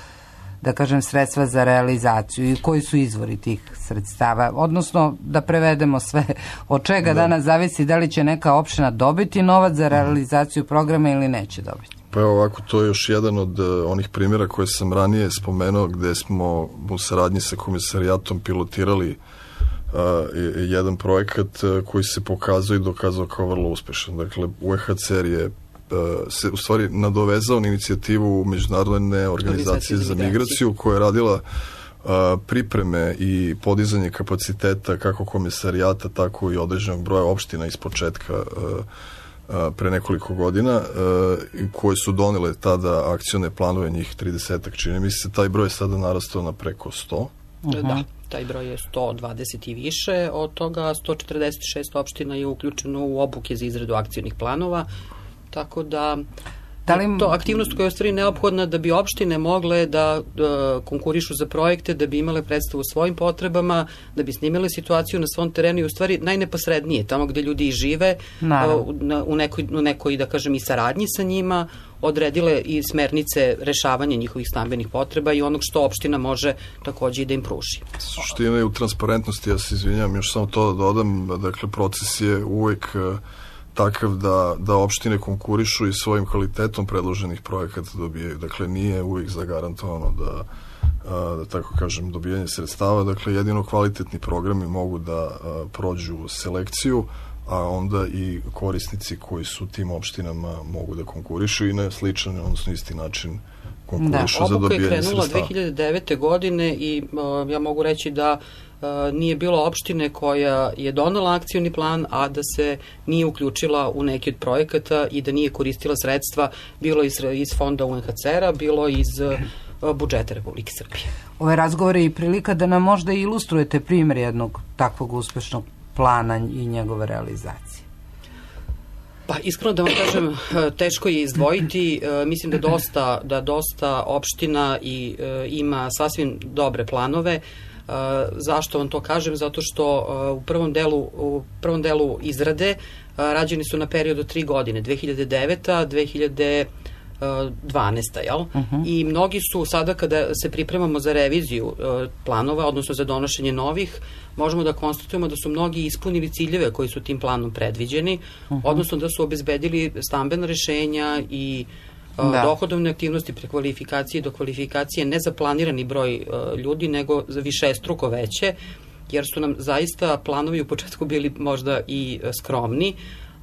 da kažem, sredstva za realizaciju i koji su izvori tih sredstava, odnosno da prevedemo sve od čega da. danas zavisi da li će neka opština dobiti novac za realizaciju programa ili neće dobiti. Pa evo ovako, to je još jedan od uh, onih primjera koje sam ranije spomenuo gde smo u saradnji sa komisarijatom pilotirali uh, jedan projekat uh, koji se pokazao i dokazao kao vrlo uspešan. Dakle, U E H C R je se u stvari nadovezao na inicijativu Međunarodne organizacije za migraciju koja je radila uh, pripreme i podizanje kapaciteta kako komisarijata, tako i određenog broja opština iz početka uh, uh, pre nekoliko godina uh, koje su donele tada akcione planove, njih tridesetak čini mi se. Taj broj je sada narastao na preko sto. Uh-huh. Da, taj broj je sto dvadeset i više, od toga sto četrdeset šest opština je uključeno u obuke za izradu akcionih planova. Tako da, da li... to aktivnost koja je u stvari neophodna da bi opštine mogle da, da konkurišu za projekte, da bi imale predstavu o svojim potrebama, da bi snimale situaciju na svom terenu i u stvari najneposrednije, tamo gde ljudi i žive, u, u, nekoj, u nekoj, da kažem, i saradnji sa njima, odredile i smernice rešavanja njihovih stambenih potreba i onog što opština može takođe i da im pruži. Suština je u transparentnosti, ja se izvinjam, još samo to da dodam, dakle, proces je uvek takav da, da opštine konkurišu i svojim kvalitetom predloženih projekata dobijaju. Dakle, nije uvijek zagarantovano da, a, da tako kažem, dobijanje sredstava. Dakle, jedino kvalitetni programi mogu da a, prođu selekciju, a onda i korisnici koji su tim opštinama mogu da konkurišu i na sličan, odnosno isti način konkurišu da, za dobijanje sredstava. Obuka je krenula dve hiljade devete. godine i a, ja mogu reći da nije bilo opštine koja je donela akcioni plan, a da se nije uključila u neki od projekata i da nije koristila sredstva bilo iz, iz fonda U N H C R-a, bilo iz budžeta Republike Srbije. Ove razgovore je i prilika da nam možda ilustrujete primjer jednog takvog uspešnog plana i njegove realizacije. Pa iskreno da vam kažem, teško je izdvojiti. Mislim da dosta, da dosta opština i ima sasvim dobre planove. Uh, zašto vam to kažem? Zato što uh, u prvom delu u prvom delu izrade uh, rađeni su na period od tri godine, dve hiljade deveta. dve hiljade dvanaesta. Jel? Uh-huh. I mnogi su sada kada se pripremamo za reviziju uh, planova, odnosno za donošenje novih, možemo da konstatujemo da su mnogi ispunili ciljeve koji su tim planom predviđeni, uh-huh. odnosno da su obezbedili stambena rešenja i uh, dohodovne aktivnosti, prekvalifikacije do kvalifikacije ne za planirani broj uh, ljudi, nego za višestruko veće, jer su nam zaista planovi u početku bili možda i uh, skromni,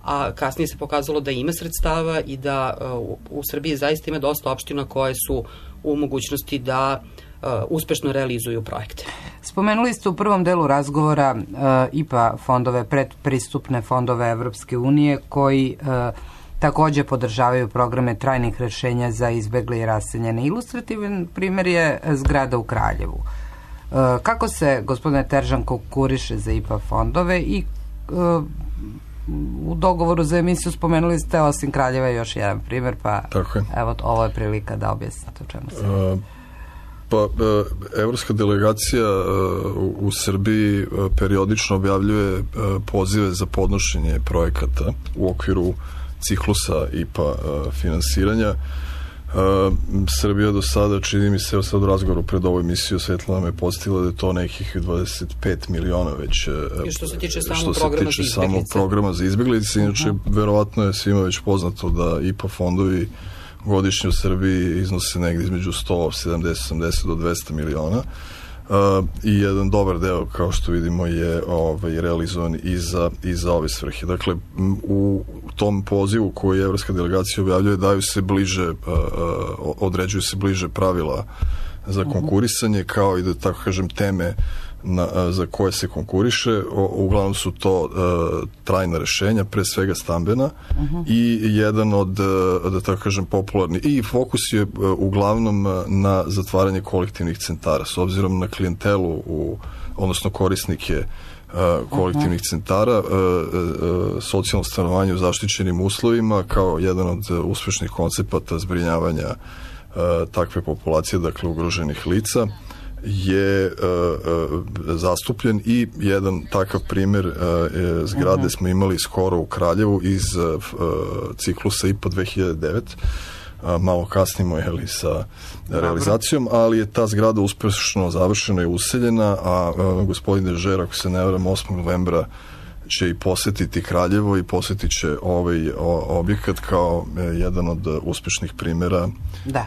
a kasnije se pokazalo da ima sredstava i da uh, u Srbiji zaista ima dosta opština koje su u mogućnosti da uh, uspešno realizuju projekte. Spomenuli ste u prvom delu razgovora uh, I P A fondove, predpristupne fondove Evropske unije koji uh, takođe podržavaju programe trajnih rešenja za izbegle i raseljene. Ilustrativan primjer je zgrada u Kraljevu. Uh, kako se, gospodine Teržan, konkuriše za I P A fondove i uh, u dogovoru za emisiju spomenuli ste osim Kraljeva još jedan primjer, pa evo ovo je prilika da objasnite o čemu se. Uh, pa, uh, evropska delegacija uh, u Srbiji uh, periodično objavljuje uh, pozive za podnošenje projekata u okviru ciklusa I P A uh, finansiranja. Uh, Srbija do sada, čini mi se, evo sad u razgovoru pred ovu emisiju Svetlana me podsjetila da je to nekih dvadeset pet miliona već uh, I što se tiče samog što programa, se tiče samog programa za izbeglice. Inače, uh-huh. verovatno je svima već poznato da I P A fondovi godišnje u Srbiji iznose negdje između sto sedamdeset osamdeset do dvesta miliona. Uh, i jedan dobar deo, kao što vidimo, je ovaj, realizovan i za, i za ove svrhe. Dakle, u tom pozivu koji evropska delegacija objavljuje daju se bliže, uh, uh, određuju se bliže pravila za konkurisanje, kao i da tako kažem teme na, za koje se konkuriše. O, uglavnom su to uh, trajna rešenja, pre svega stambena, uh-huh. i jedan od, uh, da tako kažem, popularni. I fokus je uh, uglavnom uh, na zatvaranje kolektivnih centara. S obzirom na klijentelu, u, odnosno korisnike uh, kolektivnih uh-huh. centara, uh, uh, socijalno stanovanje u zaštićenim uslovima kao jedan od uh, uspešnih koncepata zbrinjavanja uh, takve populacije, dakle ugroženih lica, je uh, uh, zastupljen i jedan takav primjer uh, zgrade uh-huh. smo imali skoro u Kraljevu iz uh, ciklusa I P A dve hiljade devet. Uh, malo kasnimo jeli, sa realizacijom, ali je ta zgrada uspešno završena i useljena, a uh, gospodin Dežer, ako se ne varam, osmog novembra će i posetiti Kraljevo i posetit će ovaj objekat kao jedan od uspešnih primjera da.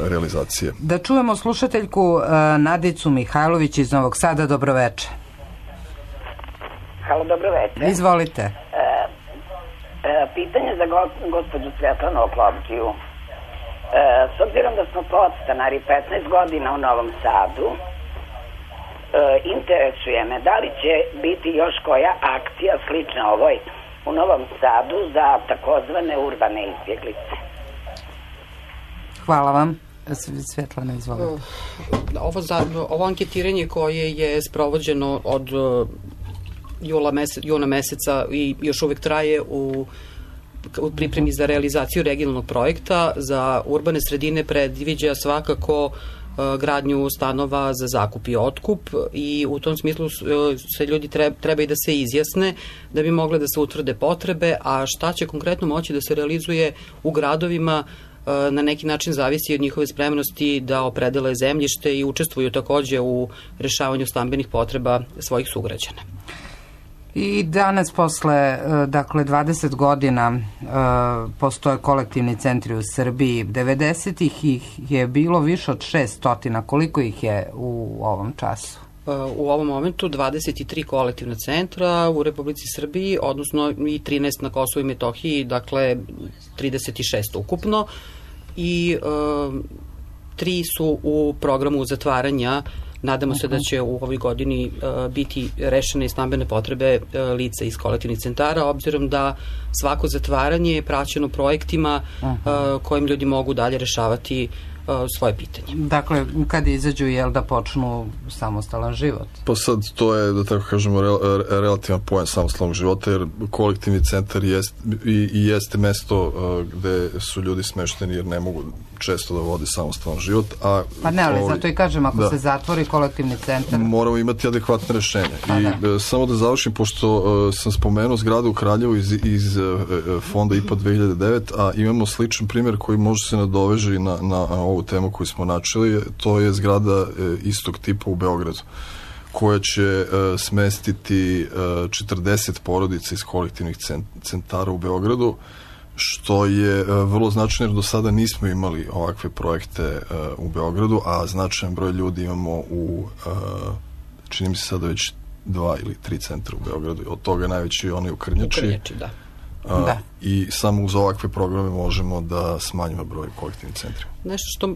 realizacije. Da čujemo slušateljku Nadicu Mihajlović iz Novog Sada. Dobroveče. Halo, dobroveče. Izvolite. E, e, pitanje za go, gospođu Svetlanu Oklovđiju. E, s obzirom da smo podstanari petnaest godina u Novom Sadu, E, interesuje me da li će biti još koja akcija slična ovoj u Novom Sadu za takozvane urbane izbjeglice. Hvala vam. Svetlana, izvolite. Ovo, za, ovo anketiranje koje je sprovođeno od jula mesec, juna meseca i još uvek traje u u pripremi za realizaciju regionalnog projekta za urbane sredine predviđa svakako gradnju stanova za zakup i otkup i u tom smislu se ljudi treba, treba i da se izjasne da bi mogle da se utvrde potrebe, a šta će konkretno moći da se realizuje u gradovima na neki način zavisi od njihove spremnosti da opredele zemljište i učestvuju takođe u rešavanju stambenih potreba svojih sugrađana. I danas posle, dakle, dvadeset godina postoje kolektivni centri u Srbiji. devedesetih ih je bilo više od šeststotina. Koliko ih je u ovom času? U ovom momentu dvadeset tri kolektivna centra u Republici Srbiji, odnosno i trinaest na Kosovu i Metohiji, dakle trideset šest ukupno. I tri su u programu zatvaranja. Nadamo se da će u ovoj godini uh, biti rešene i stambene potrebe uh, lica iz kolektivnih centara, obzirom da svako zatvaranje je praćeno projektima uh, kojim ljudi mogu dalje rešavati svoje pitanje. Dakle, kad izađu, jel da počnu samostalan život? Pa sad to je, da tako kažemo, re, re, relativan pojam samostalnog života, jer kolektivni centar jest, i, i jeste mesto uh, gde su ljudi smešteni jer ne mogu često da vode samostalan život. A pa ne, ali ovaj, zato i kažem, ako da, se zatvori kolektivni centar... Moramo imati adekvatne rešenja. Pa I da. samo da završim, pošto uh, sam spomenuo zgradu u Kraljevu iz, iz uh, fonda I P A dve hiljade devet, a imamo sličan primjer koji može se nadoveži na, na, na ovu temu koju smo načeli, to je zgrada uh, istog tipa u Beogradu, koja će uh, smestiti uh, četrdeset porodica iz kolektivnih centara u Beogradu, što je uh, vrlo značajno jer do sada nismo imali ovakve projekte uh, u Beogradu, a značajan broj ljudi imamo u, uh, čini mi se sada već dva ili tri centra u Beogradu, od toga najveći je onaj u Krnjači. U Krnjači, da. Uh, da. I samo uz ovakve programe možemo da smanjimo broj kolektivnih centra. Nešto što uh,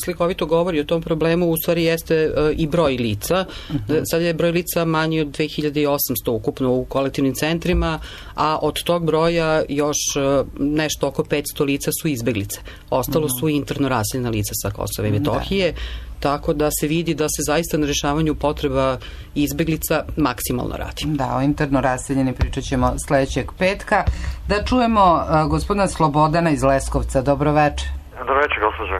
slikovito govori o tom problemu u stvari jeste uh, i broj lica. Uh-huh. Sad je broj lica manji od dve hiljade osamsto ukupno u kolektivnim centrima, a od tog broja još uh, nešto oko petsto lica su izbeglice. Ostalo uh-huh. su interno raseljena lica sa Kosova i Metohije. Da. Tako da se vidi da se zaista na rešavanju potreba izbeglica maksimalno radi. Da, o interno raseljeni pričat ćemo sledećeg petka. Da čujemo uh, gospodina Slobodana iz Leskovca. Dobro večer. Dobro večer, gospođo.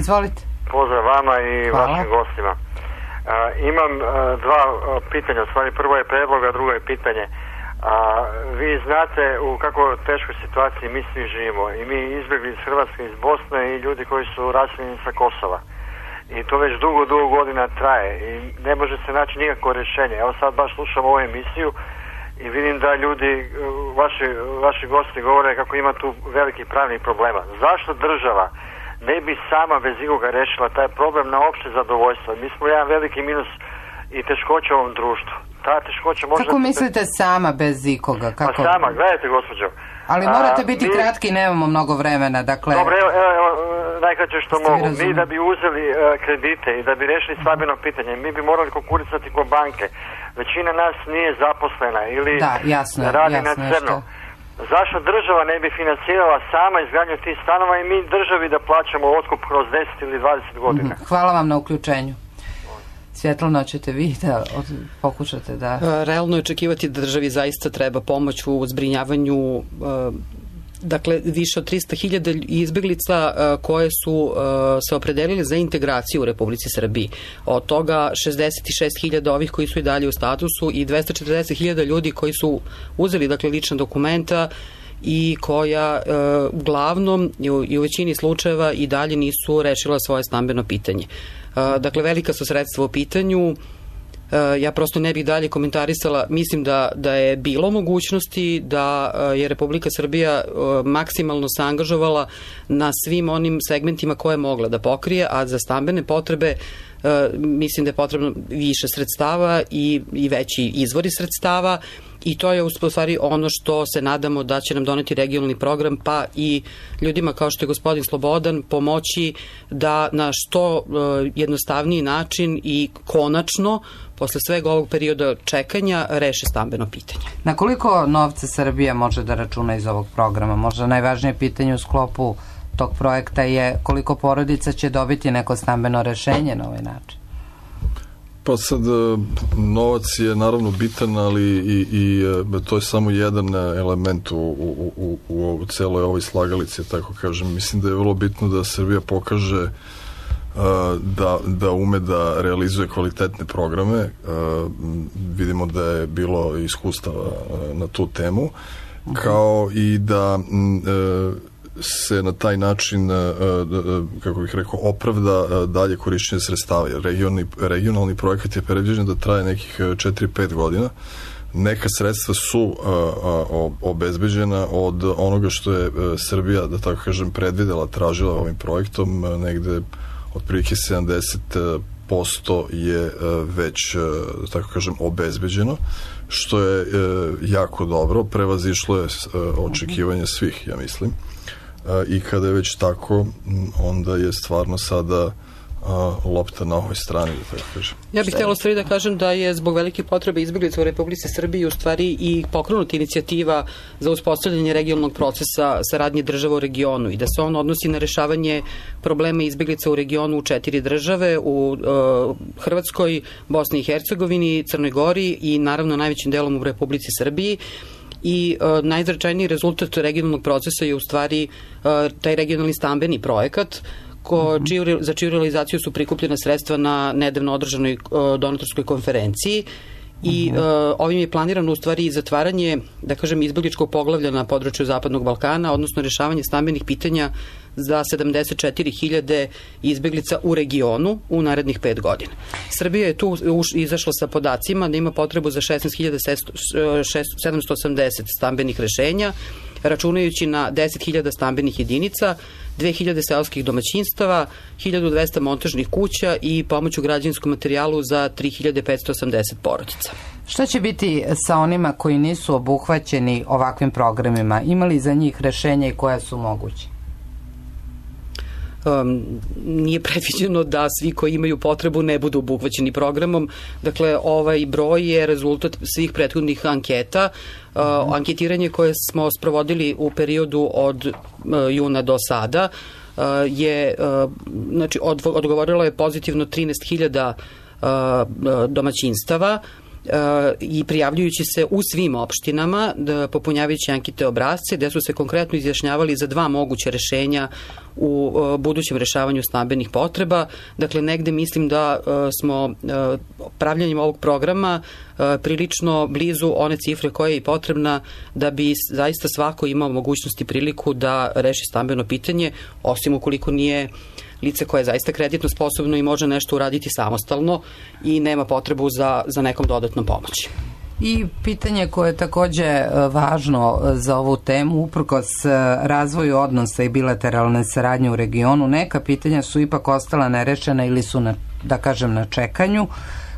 Izvolite. Pozdrav vama i Hvala. vašim gostima. Uh, imam uh, dva uh, pitanja, u stvari prvo je predlog, a drugo je pitanje. Uh, vi znate u kako teškoj situaciji mi svi živimo i mi izbjegli iz Hrvatske, iz Bosne i ljudi koji su raseljeni sa Kosova. I to već dugo, dugo godina traje i ne može se naći nikakvo rješenje. Evo sad baš slušam ovu emisiju i vidim da ljudi, vaši, vaši gosti govore kako ima tu veliki pravnih problema. Zašto država ne bi sama bez ikoga rešila taj problem na opšte zadovoljstvo? Mi smo jedan veliki minus i teškoća u ovom društvu. Ta teškoća može... Kako mislite sama bez ikoga? Kako? Pa sama, gledajte gospođo. Ali morate A, biti mi... kratki, nemamo mnogo vremena, dakle... Dobro, evo, evo, evo najkraće što Ste mogu. Mi da bi uzeli uh, kredite i da bi rešili stambeno pitanje, mi bi morali konkurisati kod banke. Većina nas nije zaposlena ili da, jasno, radi jasno, na crno. Zašto država ne bi financirala sama izgradnju tih stanova i mi državi da plaćamo otkup kroz deset ili dvadeset godina? Mm-hmm. Hvala vam na uključenju. Svjetlana, ćete vi da pokušate da... Realno je očekivati da državi zaista treba pomoć u zbrinjavanju dakle, više od trista hiljada izbeglica koje su se opredelili za integraciju u Republici Srbiji. Od toga šezdeset šest hiljada ovih koji su i dalje u statusu i dvesta četrdeset hiljada ljudi koji su uzeli dakle, lična dokumenta i koja e, uglavnom i u većini slučajeva i dalje nisu rešila svoje stambeno pitanje. E, dakle, velika su sredstva u pitanju. E, ja prosto ne bih dalje komentarisala. Mislim da, da je bilo mogućnosti da je Republika Srbija e, maksimalno se angažovala na svim onim segmentima koje je mogla da pokrije, a za stambene potrebe Uh, mislim da je potrebno više sredstava i, i veći izvori sredstava i to je u stvari ono što se nadamo da će nam doneti regionalni program, pa i ljudima kao što je gospodin Slobodan pomoći da na što uh, jednostavniji način i konačno posle svega ovog perioda čekanja reše stambeno pitanje. Na koliko novca Srbija može da računa iz ovog programa? Možda najvažnije pitanje u sklopu tog projekta je koliko porodica će dobiti neko stambeno rešenje na ovaj način? Pa sad, novac je naravno bitan, ali i, i to je samo jedan element u, u, u, u, u celoj ovoj slagalici, tako kažem. Mislim da je vrlo bitno da Srbija pokaže da, da ume da realizuje kvalitetne programe. Vidimo da je bilo iskustava na tu temu, kao i da se na taj način, kako bih rekao, opravda dalje korišćenje sredstava. Regionalni, regionalni projekat je predviđen da traje nekih četiri pet godina. Neka sredstva su obezbeđena od onoga što je Srbija, da tako kažem, predvidela, tražila ovim projektom. Negde otprilike sedamdeset posto je već, da tako kažem, obezbeđeno, što je jako dobro. Prevazišlo je očekivanje svih, ja mislim. I kada je već tako, onda je stvarno sada a, lopta na ovoj strani, da tako kažem. Ja bih htjela stvari da kažem da je zbog velike potrebe izbjeglica u Republici Srbiji u stvari i pokrenuta inicijativa za uspostavljanje regionalnog procesa saradnje država u regionu i da se on odnosi na rešavanje problema izbjeglica u regionu u četiri države, u uh, Hrvatskoj, Bosni i Hercegovini, Crnoj Gori i naravno najvećim delom u Republici Srbiji. I uh, najznačajniji rezultat regionalnog procesa je u stvari uh, taj regionalni stambeni projekat ko, čiju, za čiju realizaciju su prikupljena sredstva na nedavno održanoj uh, donatorskoj konferenciji i uh, ovim je planirano u stvari zatvaranje, da kažem, izbjegličkog poglavlja na području Zapadnog Balkana, odnosno rešavanje stambenih pitanja za sedamdeset četiri hiljade izbjeglica u regionu u narednih pet godina. Srbija je tu izašla sa podacima da ima potrebu za šesnaest hiljada sedamsto osamdeset stambenih rešenja, računajući na deset hiljada stambenih jedinica, dve hiljade seoskih domaćinstava, hiljadu dvesta montažnih kuća i pomoć u građevinskom materijalu za tri hiljade petsto osamdeset porodica. Šta će biti sa onima koji nisu obuhvaćeni ovakvim programima? Ima li za njih rešenja i koja su moguće? Um, nije predviđeno da svi koji imaju potrebu ne budu obuhvaćeni programom. Dakle, ovaj broj je rezultat svih prethodnih anketa. Uh, anketiranje koje smo sprovodili u periodu od uh, juna do sada uh, je, uh, znači, od, odgovorilo je pozitivno trinaest hiljada uh, domaćinstava, Uh, i prijavljujući se u svim opštinama, da, popunjavajući ankete obrasce, gde su se konkretno izjašnjavali za dva moguće rešenja u uh, budućem rešavanju stambenih potreba. Dakle, negde mislim da uh, smo uh, pravljanjem ovog programa uh, prilično blizu one cifre koja je i potrebna da bi zaista svako imao mogućnost i priliku da reši stambeno pitanje, osim ukoliko nije lice koje je zaista kreditno sposobno i može nešto uraditi samostalno i nema potrebu za, za nekom dodatnom pomoći. I pitanje koje je takođe važno za ovu temu, uprkos razvoju odnosa i bilateralne saradnje u regionu, neka pitanja su ipak ostala nerešena ili su, na, da kažem, na čekanju,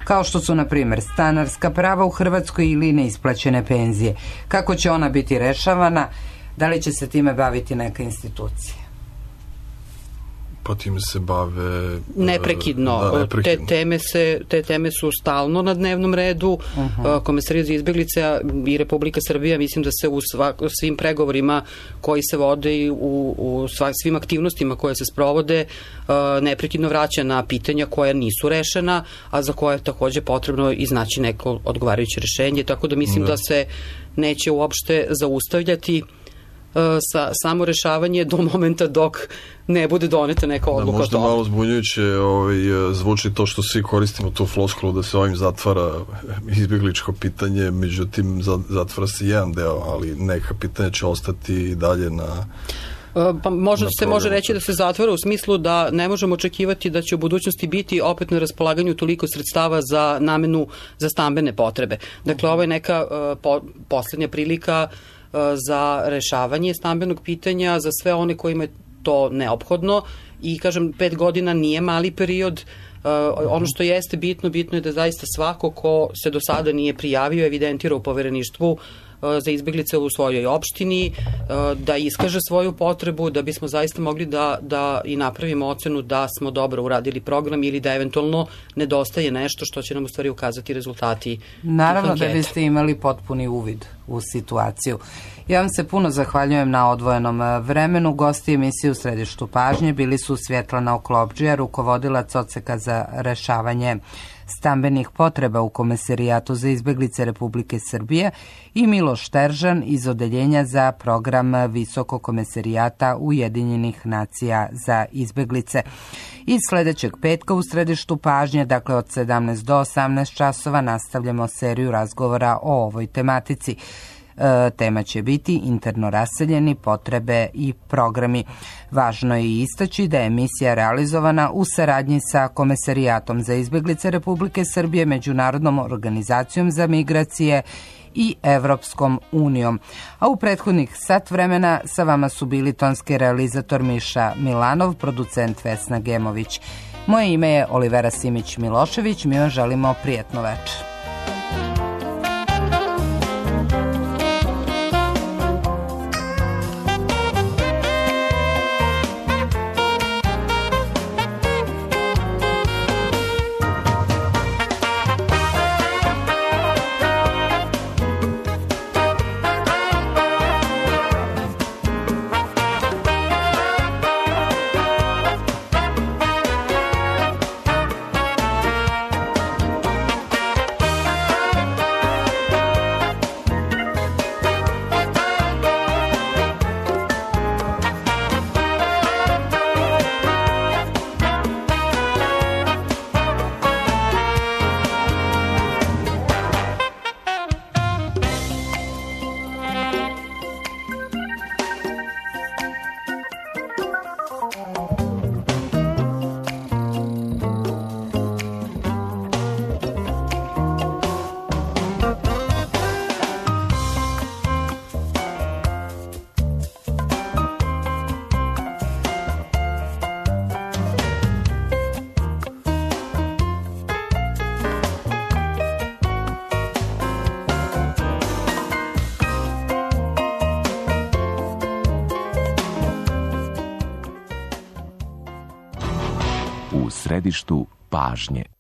kao što su, na primjer, stanarska prava u Hrvatskoj ili neisplaćene penzije. Kako će ona biti rešavana? Da li će se time baviti neka institucija? Pa time se bave neprekidno. Da, neprekidno. Te teme se te teme su stalno na dnevnom redu. Uh-huh. Komesarija za izbeglice i Republika Srbija, mislim da se u svak, svim pregovorima koji se vode i u, u svak, svim aktivnostima koje se sprovode neprekidno vraća na pitanja koja nisu rešena, a za koje je takođe potrebno iznaći neko odgovarajuće rešenje, tako da mislim da, da se neće uopšte zaustavljati sa samo rešavanje do momenta dok ne bude doneta neka odluka. Da, možda malo zbunjujuće ovaj, zvuči to što svi koristimo tu floskulu da se ovim zatvara izbjegličko pitanje, međutim zatvara se jedan deo, ali neka pitanja će ostati i dalje na... Pa možda se može reći da se zatvara u smislu da ne možemo očekivati da će u budućnosti biti opet na raspolaganju toliko sredstava za namenu za stambene potrebe. Dakle, ovo je neka uh, po, poslednja prilika uh, za rešavanje stambenog pitanja za sve one kojima je to neophodno i, kažem, pet godina nije mali period. Uh, ono što jeste bitno, bitno je da zaista svako ko se do sada nije prijavio, evidentira u povereništvu za izbeglice u svojoj opštini, da iskaže svoju potrebu, da bismo zaista mogli da, da i napravimo ocenu da smo dobro uradili program ili da eventualno nedostaje nešto što će nam u stvari ukazati rezultati. Naravno da biste imali potpuni uvid u situaciju. Ja vam se puno zahvaljujem na odvojenom vremenu. Gosti emisije U središtu pažnje bili su Svjetlana Oklopdžija, rukovodilac odseka za rešavanje stambenih potreba u Komesarijatu za izbeglice Republike Srbije i Miloš Teržan iz Odeljenja za program Visokog komesarijata Ujedinjenih nacija za izbeglice. I sledećeg petka u središtu pažnje, dakle od sedamnaest do osamnaest časova, nastavljamo seriju razgovora o ovoj tematici. E, tema će biti interno raseljeni, potrebe i programi. Važno je istaći da je emisija realizovana u saradnji sa Komesarijatom za izbeglice Republike Srbije, Međunarodnom organizacijom za migracije i Evropskom unijom. A u prethodnih sat vremena sa vama su bili tonski realizator Miša Milanov, producent Vesna Gemović. Moje ime je Olivera Simić-Milošević. Mi vam želimo prijatno večer. središtu pažnje.